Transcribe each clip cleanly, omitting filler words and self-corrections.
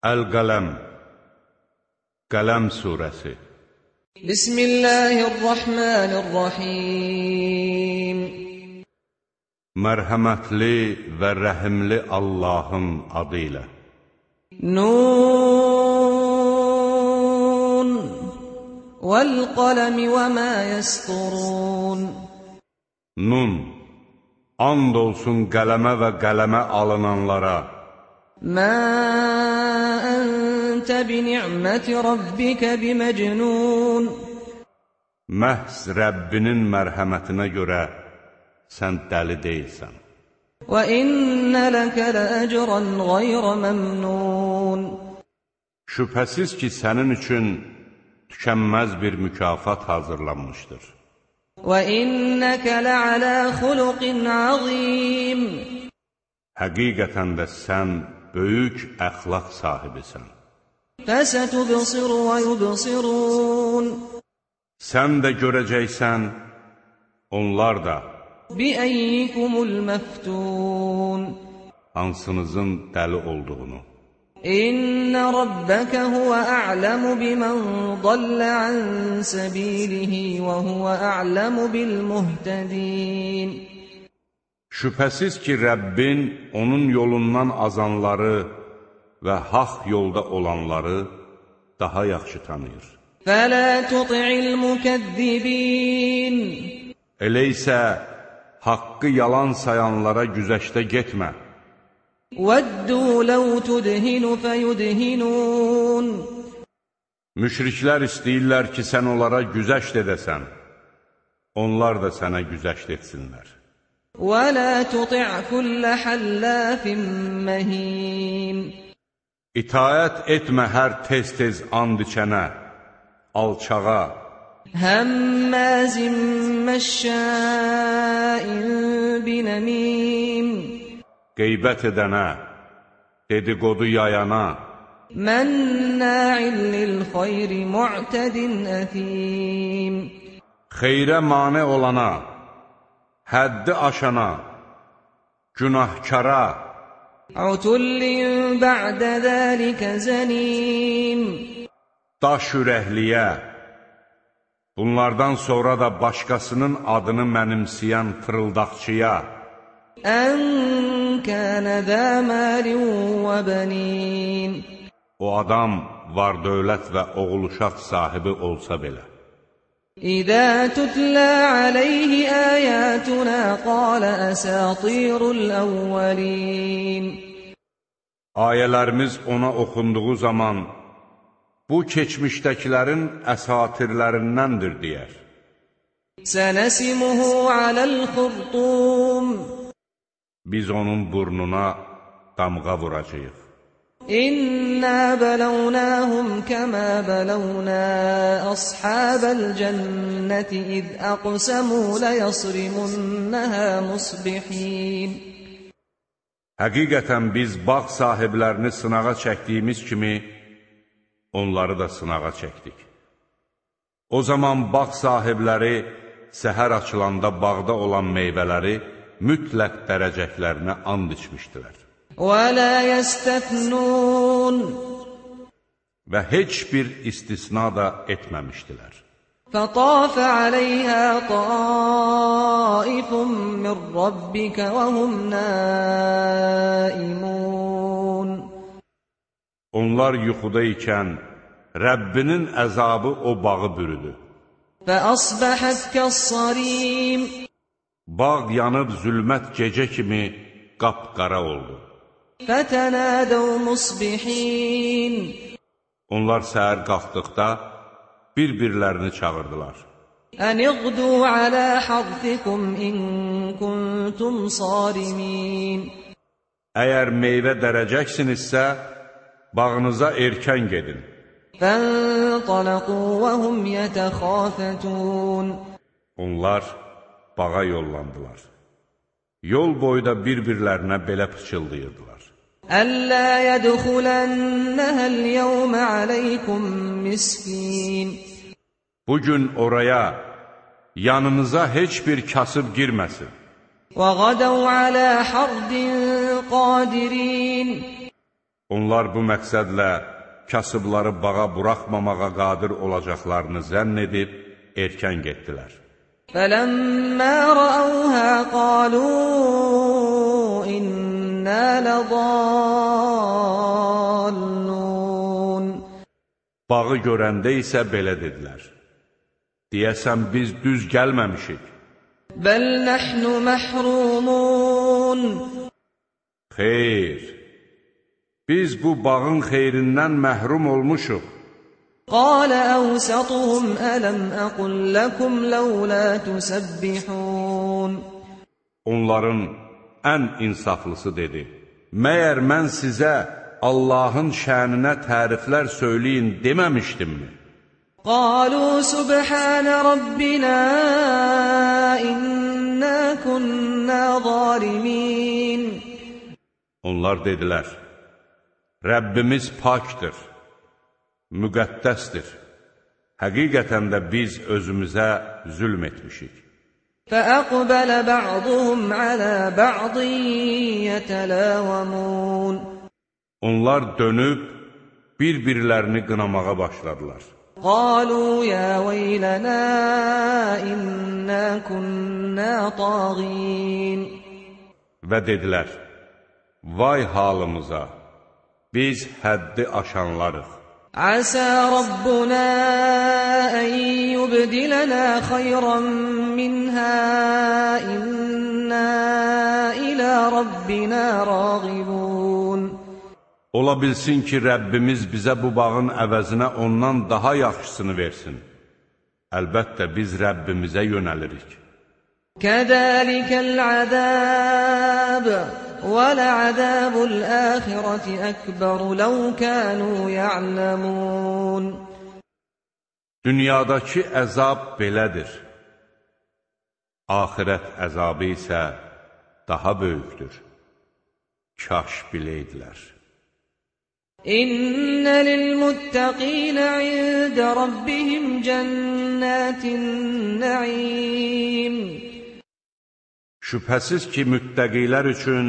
Əl-Qələm, Qələm surəsi. Bismillahirrahmanirrahim. Mərhəmətli və rəhimli Allahın adı ilə. Nun vəl-qələmi və mə yəsturun. Nun, and olsun qələmə və qələmə alınanlara. Mə əntə bi-ni'məti rabbikə bi-məcnun. Məhz Rəbbinin mərhəmətinə görə sən dəli deyilsən. Və innə ləkə ləəcrən qayrə məmnun. Şübhəsiz ki, sənin üçün tükənməz bir mükafat hazırlanmışdır. Və innəkə lə'alə xuluqin azim. Həqiqətən də sən böyük əxlaq sahibisən. Fəsətubsiru və yubsirun. Sən də görəcəksən, onlar da. Bi-əyyikumul məftun. Hansınızın dəli olduğunu. İnnə rabbəkə huvə a'ləmu bimən dallə ən səbilihi və huvə a'ləmu bil-muhtədin. Şübhəsiz ki, Rəbbin onun yolundan azanları və haqq yolda olanları daha yaxşı tanıyır. Fələ tuti'il mükəzzibin. Elə isə haqqı yalan sayanlara güzəştə getmə. Vəddu ləv tudhinu fəyudhinun. Müşriklər istəyirlər ki, sən onlara güzəşt edəsən. Onlar da sənə güzəşt etsinlər. وَلَا تُطِعْ كُلَّ حَلَّافٍ مَّهِينٍ. İtaət etmə hər tez-tez and içənə, alçağa, həmmazin məşşain binəmim. Qeybət edənə, dedikodu yayana, mənna'in lil-xayri mu'tədin əthim. xeyrə mane olana, həddi aşana, günahkara, utullin ba'də zəlikə zənim. daş ürəkliyə, bunlardan sonra da başqasının adını mənimsəyən fırıldaqçıya, ən kənə zə məlin və bənin. o adam var dövlət və oğul uşaq sahibi olsa belə. İzə tutlə aleyhi əyətuna qalə əsatirul əvvəlin. Ayələrimiz ona oxunduğu zaman, bu keçmişdəkilərin əsatirlərindəndir, deyər. Sənəsimuhu aləl-xurtum. Biz onun burnuna damğa vuracağıq. İnnə bələvnəhum kəmə bələvnə əshabəl cənnəti iz əqsəmü ləyəsrimunnəhə musbihin. Həqiqətən biz bağ sahiblərini sınağa çəkdiyimiz kimi, onları da sınağa çəkdik. O zaman bağ sahibləri səhər açılanda bağda olan meyvələri mütləq dərəcəklərinə and içmişdilər. وَلَا يَسْتَثْنُونَ. Və heç bir istisna da etməmişdilər. فَطَافَ عَلَيْهَا طَائِفٌ مِّن رَّبِّكَ وَهُمْ نَائِمُونَ. Onlar yuxuda ikən Rəbbinin əzabı o bağı bürüdü. فَأَصْبَحَتْ كَالصَّرِيمِ. Bağ yanıb zülmət gecə kimi qapqara oldu. فَتَنَادَوْا مُصْبِحِينَ. Onlar səhər qalxdıqda bir-birlərini çağırdılar. أَنِ اغْدُوا عَلَى حَرْثِكُمْ إِن كُنتُمْ صَارِمِينَ. Əgər meyvə dərəcəksinizsə, bağınıza erkən gedin. فَانْطَلَقُوا وَهُمْ يَتَخَافَتُونَ. Onlar bağa yollandılar. Yol boyda bir-birlərinə belə pıçıldayırdılar. Əllə yədxulənəhəl yevmə aleykum miskin. Bugün oraya, yanınıza heç bir kasıb girməsin. Və qadəv alə hardin qadirin. Onlar bu məqsədlə kasıbları bağa buraxmamağa qadir olacaqlarını zənn edib erkən getdilər. فَلَمَّا رَأَوْهَا قَالُوا إِنَّا لَضَالُّونَ Bağı görəndə isə belə dedilər: deyəsən biz düz gəlməmişik. بَلْ نَحْنُ مَحْرُومُونَ Xeyr, biz bu bağın xeyrindən məhrum olmuşuq. قَالَ أَوْسَطُهُمْ أَلَمْ أَقُلْ لَكُمْ لَوْلَا تُسَبِّحُونَ Onların ən insaflısı dedi: məyər mən sizə Allahın şəninə təriflər söyləyin deməmişdimmi? قَالُوا سُبْحَانَ رَبِّنَا إِنَّا كُنَّا ظَالِمِينَ Onlar dedilər: Rəbbimiz pakdır, müqəddəsdir. Həqiqətən də biz özümüzə zülm etmişik. فَأَقْبَلَ بَعْضُهُمْ عَلَى بَعْضٍ يَتَلَاوَمُونَ Onlar dönüb bir-birlərini qınamağa başladılar. قَالُوا يَا وَيْلَنَا إِنَّا كُنَّا طَاغِينَ Və dedilər: vay halımıza, biz həddi aşanlarıq. عَسَى رَبُّنَا أَن يُبْدِلَنَا خَيْرًا مِّنْهَا إِنَّا إِلَى رَبِّنَا رَاغِبُونَ Ola bilsin ki, Rəbbimiz bizə bu bağın əvəzinə ondan daha yaxşısını versin. Əlbəttə, biz Rəbbimizə yönəlirik. كَذَلِكَ الْعَذَابُ وَلَعَذَابُ الْآخِرَةِ أَكْبَرُ لَوْ كَانُوا يَعْلَمُونَ Dünyadakı əzab belədir. Axirət əzabı isə daha böyükdür. Kaş biləydilər. إِنَّ لِلْمُتَّقِينَ عِندَ رَبِّهِمْ جَنَّاتِ النَّعِيمِ Şübhəsiz ki, müttəqilər üçün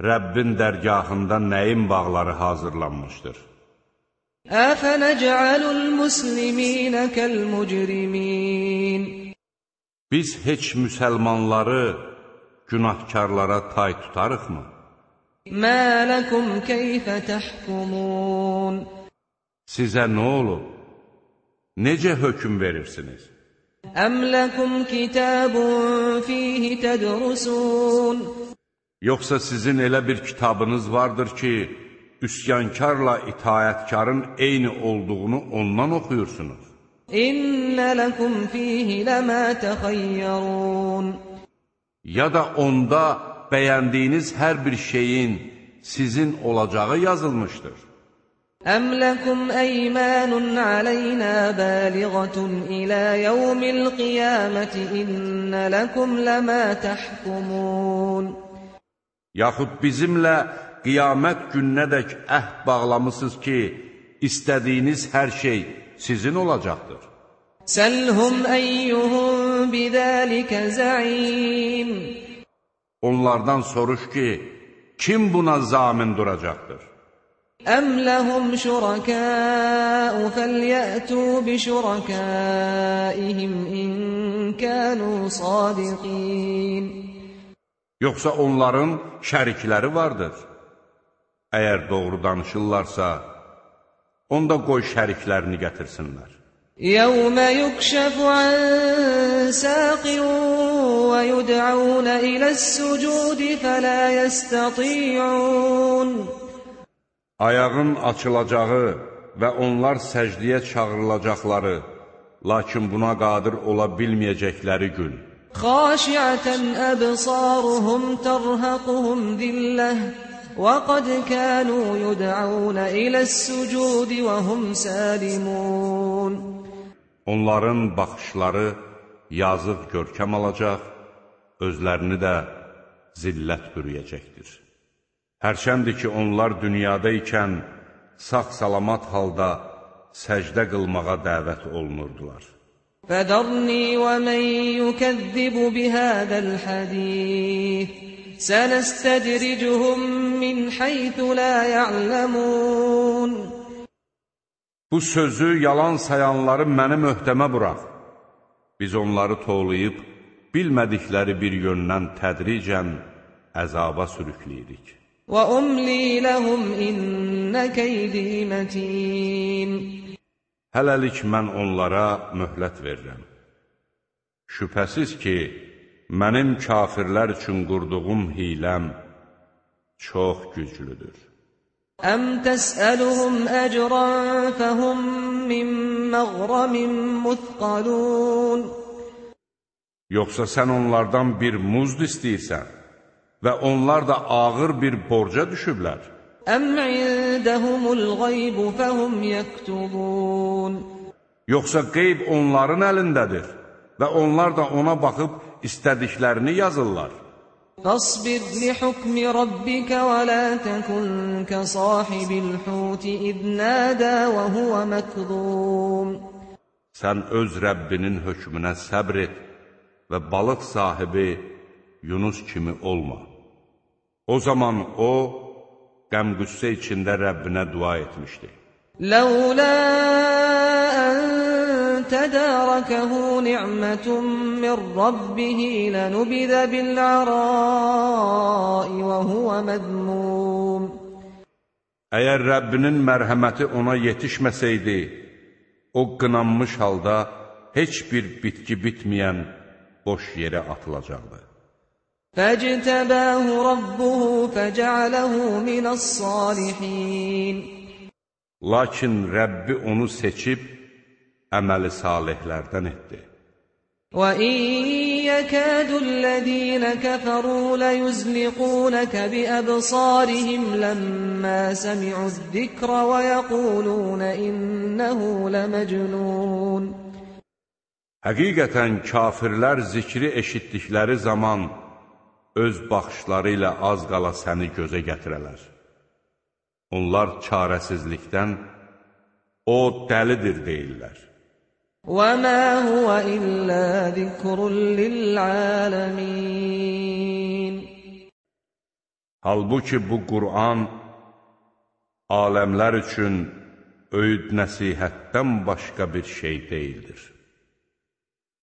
Rəbbin dərgahında nəyin bağları hazırlanmışdır. أَفَنَجْعَلُ الْمُسْلِمِينَ كَالْمُجْرِمِينَ Biz heç müsəlmanları günahkarlara tay tutarıqmı? مَا لَكُمْ كَيْفَ تَحْكُمُونَ Sizə nə olub? Necə hökm verirsiniz? أَمْ لَكُمْ كِتَابٌ فِيهِ تَدْرُسُونَ Yoxsa sizin elə bir kitabınız vardır ki, üsyankarla itayətkarın eyni olduğunu ondan oxuyursunuz. إِنَّ لَكُمْ فِيهِ لَمَا تَخَيَّرُونَ Ya da onda bəyəndiyiniz hər bir şeyin sizin olacağı yazılmışdır. أَمْ لَكُمْ أَيْمَانٌ عَلَيْنَا بَالِغَةٌ إِلَى يَوْمِ الْقِيَامَةِ إِنَّ لَكُمْ لَمَا تَحْكُمُونَ Yaxud bizimlə qiyamət gününədək əhd bağlamısınız ki, istədiyiniz hər şey sizin olacaqdır. سَلْهُمْ أَيُّهُمْ بِذَٰلِكَ زَعِيمٌ Onlardan soruş ki, kim buna zamin duracaqdır? أَمْ لَهُمْ شُرَكَاءُ فَلْيَأْتُوا بِشُرَكَائِهِمْ إِنْ كَانُوا صَادِقِينَ Yoxsa onların şərikləri vardır. Əgər doğru danışırlarsa, onda qoy şəriklərini gətirsinlər. يَوْمَ يُكْشَفُ عَنْ سَاقٍ وَيُدْعَوْنَ إِلَى السُّجُودِ فَلَا يَسْتَطِيعُونَ Ayağın açılacağı və onlar səcdiyə çağırılacaqları, lakin buna qadir ola bilməyəcəkləri gün. خَاشِعَةً أَبْصَارُهُمْ تَرْهَقُهُمْ ذِلَّةٌ وَقَدْ كَانُوا يُدْعَوْنَ إِلَى السُّجُودِ وَهُمْ سَالِمُونَ Onların baxışları yazıq görkəm alacaq, özlərini də zillət bürüyəcəkdir. Hərçəndir ki, onlar dünyada ikən sağ-salamat halda səcdə qılmağa dəvət olunurdular. فَذَرْنِي وَمَنْ يُكَذِّبُ بِهَذَا الْحَدِيثِ سَنَسْتَدْرِجُهُمْ مِنْ حَيْثُ لَا يَعْلَمُونَ Bu sözü yalan sayanları mənim öhdəmə burax. Biz onları toğlayıb, bilmədikləri bir yöndən tədricən əzaba sürükləyirik. وَأُمْلِي لَهُمْ إِنَّ كَيْدِي مَتِينٌ Hələlik mən onlara möhlət verirəm. Şübhəsiz ki, mənim kafirlər üçün qurduğum hiləm çox güclüdür. أَمْ تَسْأَلُهُمْ أَجْرًا فَهُمْ مِنْ مَغْرَمٍ مُثْقَلُونَ Yoxsa sən onlardan bir muzd istəyirsən və onlar da ağır bir borca düşüblər. أَمْ عِندَهُمُ الْغَيْبُ فَهُمْ يَكْتُبُونَ Yoxsa qeyb onların əlindədir və onlar da ona baxıb istədiklərini yazırlar. فاصبر لحكم ربك ولا تكن كصاحب الحوت إذ نادى وهو مكظوم Sən öz Rəbbinin hökmünə səbr et və balıq sahibi Yunus kimi olma. O zaman o, qəm-qüssə içində Rəbbinə dua etmişdi. لولا أن تداركه نعمة من ربه لنبذ بالعراء وهو مذموم Əgər Rəbbinin mərhəməti ona yetişməsəydi, o qınanmış halda heç bir bitki bitməyən boş yerə atılacaqdı. فاجتباه ربه فجعله من الصالحين Lakin Rəbbi onu seçib, əməli salihlərdən etdi. وَإِنْ يَكَادُ الَّذِينَ كَفَرُوا لَيُزْلِقُونَكَ بِأَبْصَارِهِمْ لَمَّا سَمِعُوا الذِّكْرَ وَيَقُولُونَ إِنَّهُ لَمَجْنُونَ Həqiqətən kafirlər zikri eşitdikləri zaman öz baxışları ilə az qala səni gözə gətirələr. Onlar çarəsizlikdən, o dəlidir deyirlər. وَمَا هُوَ إِلَّا ذِكْرٌ لِلْعَالَمِينَ Halbuki bu Qur'an aləmlər üçün öyüd nəsihətdən başqa bir şey deyildir.